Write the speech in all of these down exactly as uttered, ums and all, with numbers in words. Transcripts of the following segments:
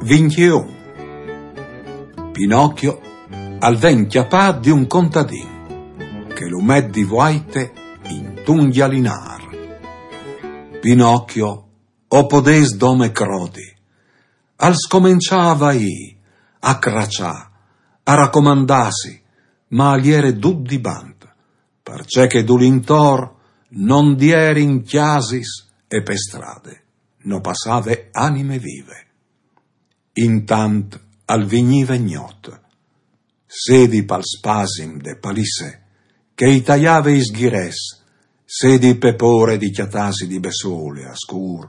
Vintjeun. Pinocchio al ven cjapât di un contadin che lu met di vuaite intun gjalinâr. Pinocchio o podès dome crodi. Al scomençà a vaî, a craçâ, a racomandâsi, ma al jere dut di bant, parcè che dulintor no 'nd jerin cjasis e pe strade no passave anime vive. Intant al vignive gnot, sedi pal spasim de palisse che i taiave i sghirets, sedi pe pôre di cjatâsi di bessole a scûr,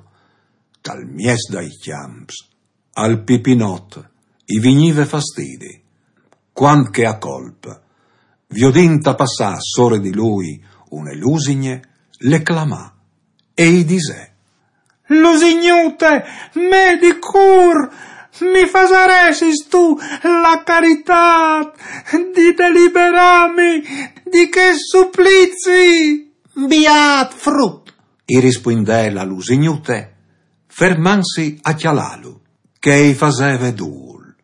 tal mieç dai cjamps, al Pipinot i vignive fastidi, cuant che a colp, viodint a passâ sore di lui une lusigne, le clamà e i disè: Lusignute, me di cûr, mi fasaressistu la caritât di deliberâmi di chest suplizi? Biât frut, i rispuindè la lusignute, fermantsi a cjalâlu, che i faseve dûl.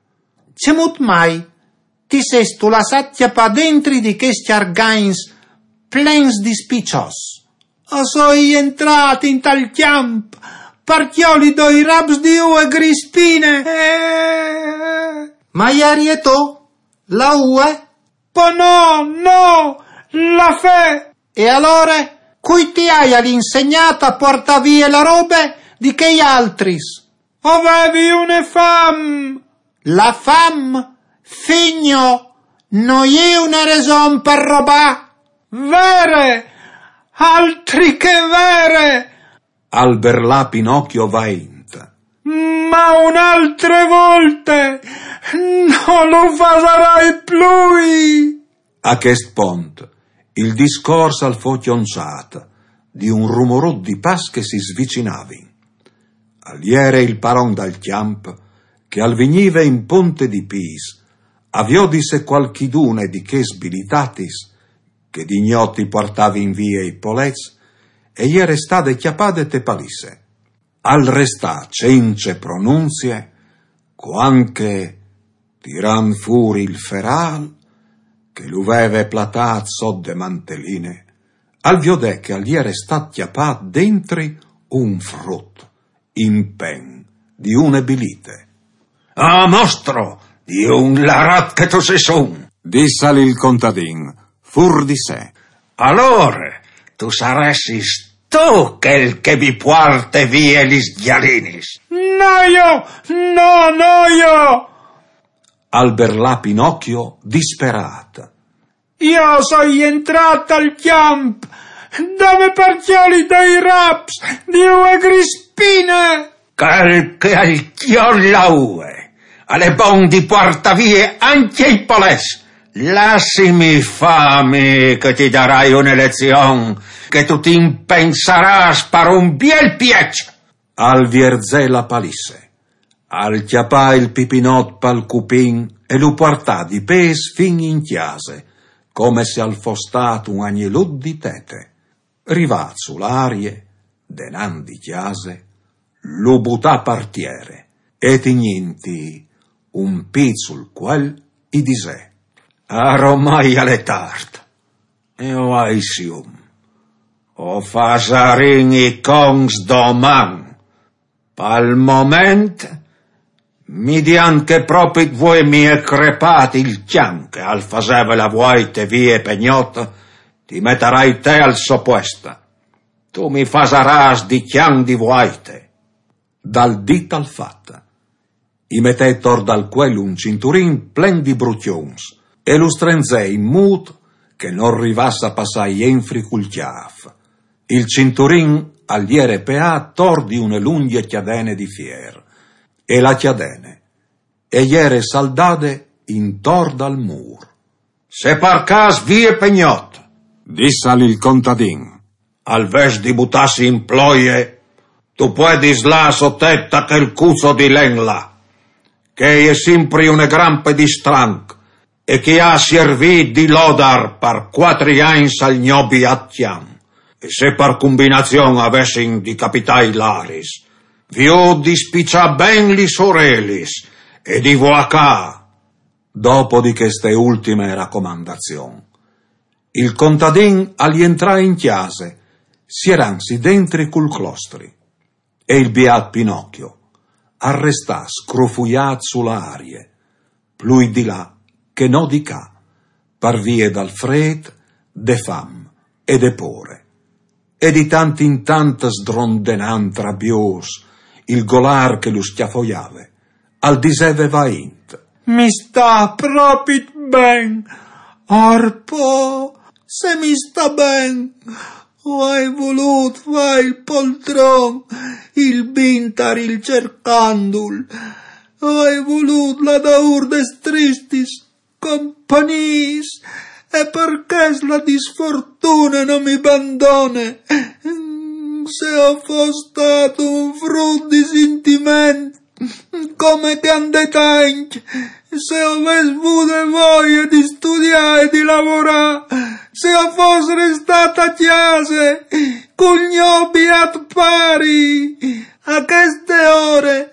Cemût mai ti sêstu lassât cjapâ dentri di chescj argagns plens di spiçots? O soi jentrât intal cjamp par cjoli doi raps di ue grispine. Eh. Ma jerie tu la ue? Po no, no, la fe. E alore, cui ti aial insegnât a puartâ vie la robe di chei altris? O vevi une fam. La fam, figno, no je une reson par robâ. Vere, altri che vere! Al berlà Pinocchio vaint. Ma une altre volte no lu fasarai plui! A chest pont il discors al fo cjonçât di un rumorut di pas che si svicinavin. Al jere il paron dal cjamp che al vignive in ponte di pîts a viodi se cualchidune di chês bilitatis che di gnot i puartavin vie i polets e jere stade cjapade te palisse. Al restà cence pronunzie, cuant che, tirant fûr il ferâl che lu veve platât sot de manteline, al viodè che al jere stât cjapât dentri un frut in pen di une bilite. Ah, mostro, di un larat che tu sês un! Dissal il contadin, fûr di se. Alore, tu saressis tu chel che mi puarte vie lis gjalinis? No jo, no, no jo! Al berlà Pinocchio disperât. Jo o soi jentrât al cjamp dome par cjoli doi raps di ue grispine. Chel che al cjol la ue al è bon di puartâ vie ancje i polets. Lassimi fâ mi che ti darai une lezion, che tu ti impensarâs par un biel pieç. Al vierzè la palisse, al cjapà il Pipinot pal cupin e lu puartà di pês fin in cjase, come se al fos stât un agnelut di tete. Rivât su la arie, denant di cjase, lu butà par tiere e, tignintji un pît sul cuel, i disè: Aromai al è tart, e o ai sium. O fasarìn i conts doman. Pal moment mi dian che propit vuê mi è crepât il cjan che al faseve la vuaite vie pe gnot, ti metarai te al so puest. Tu mi fasarâs di cjan di vuaite. Dal dit al fat, i metè tor dal cuel un cinturin plen di brucjons e lu strenzè in mût che nol rivàs a passâ jenfri cul cjâf. Il cinturin al jere peât tor di une lungje cjadene di fier, e la cjadene e jere saldade intor dal mûr. Se par câs vie pe gnot, dissal il contadin, al ves di butâsi in ploie, tu puedis lâ sotet a chel cuzo di len là, che e je simpri une grampe di stranc, e che e à siervît di lodar par cuatri agns al gno biât cjan. E se par cumbinazion a vessin di capitâ i laris, Vi ho di spiccià ben lis orelis e di vuacà. Dopo di cheste ultime racomandazion, il contadin al jentrà in cjase, sieransi dentri cul clostri, e il biat Pinocchio al restà scrofuiat su la arie, plui di là che no di ca, par vie dal fret, de fam e de pore. E di tant in tant sdrondenant rabios, il golar che lu scjafoiave al diseve vaint: «Mi sta propit ben, orpo, se mi sta ben, o ai volut fà il poltron, il bintar il cercandul, o ai volut la daur des tristis compagniis, e parchè la disfortune no mi bandone. Se o fos stat un frut di sintiment, come che an det agns, se o ves vude voie di studià e di lavorà, se o fos restat a cjase cul gno biat pari, a cheste ore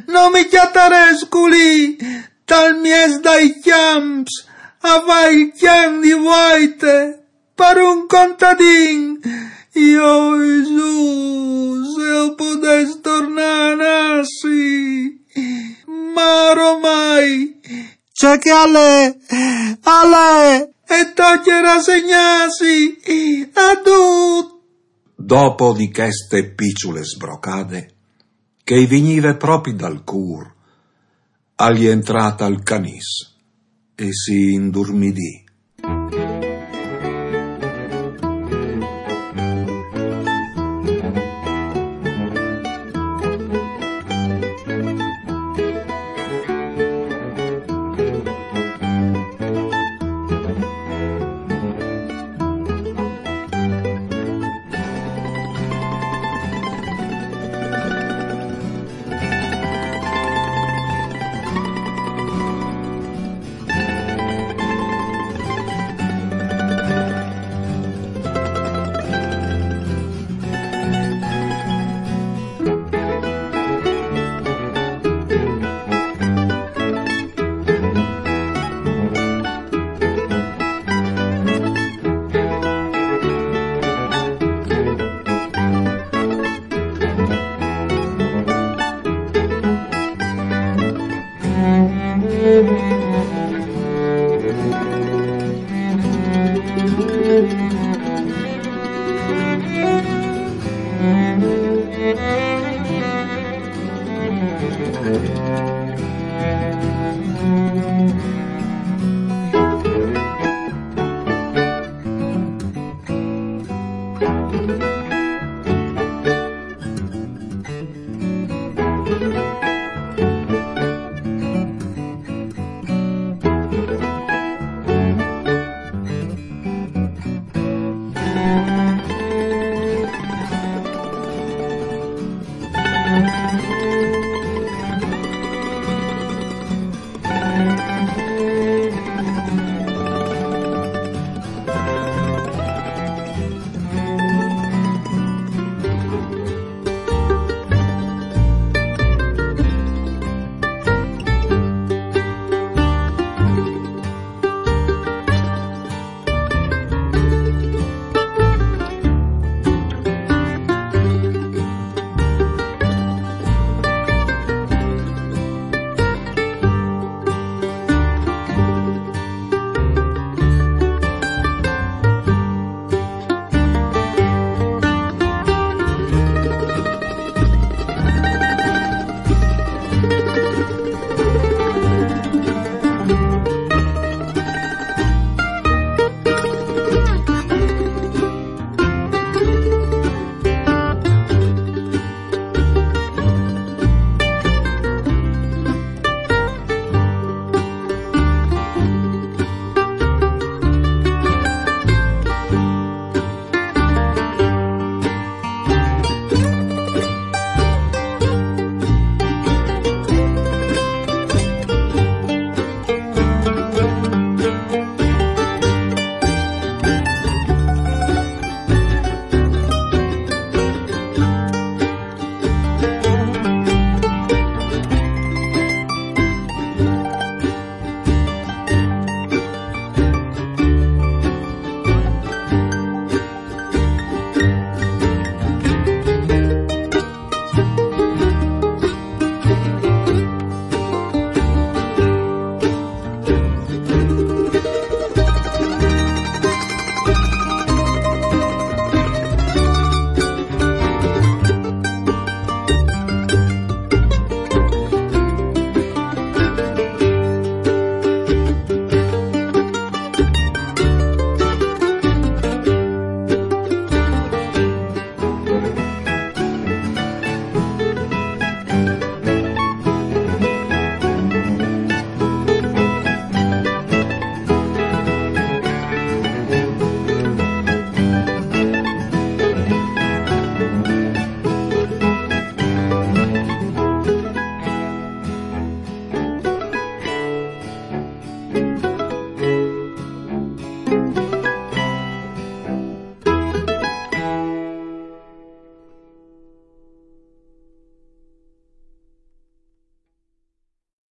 no mi cjatarès culì tal mies dai cjamps a fà il cjan di vuaite par un contadin. Io, Gesù, se o podès tornà a nassi, ma ormai ce che al è, al è, e tocje rasegnassi a dut.» Dopo di cheste piçule sbrocade, che i vignive propit dal cur, al jentrà tal canis e si indurmidì